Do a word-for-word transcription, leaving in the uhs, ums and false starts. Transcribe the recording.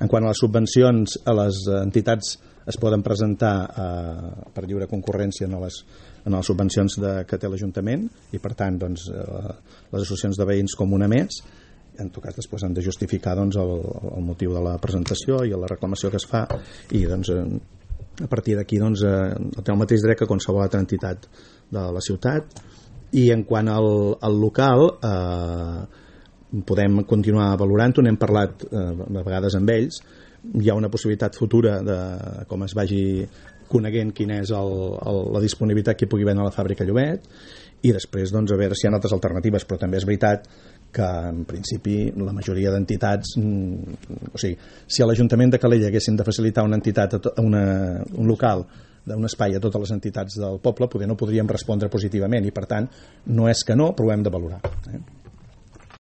En quant a les subvencions, a les entitats es poden presentar eh, per lliure concurrència en les, en les subvencions de, que té l'Ajuntament, i per tant doncs, eh, les associacions de veïns com una més. En tot cas després han de justificar doncs, el, el motiu de la presentació i la reclamació que es fa, i doncs, a partir d'aquí doncs, té el mateix dret que qualsevol altra entitat de la ciutat. I en quant al, al local, eh, podem continuar valorant-ho, n'hem parlat eh, a vegades amb ells. Hi ha una possibilitat futura de com es vagi coneguent quina és el, el, la disponibilitat que hi pugui haver a la fàbrica Llobet, i després doncs, a veure si hi ha altres alternatives, però també és veritat que en principi la majoria d'entitats, o sigui, si a l'Ajuntament de Calella haguessin de facilitar una entitat, una, un local d'un espai a totes les entitats del poble, poder no podríem respondre positivament, i per tant no és que no, però ho hem de valorar, eh?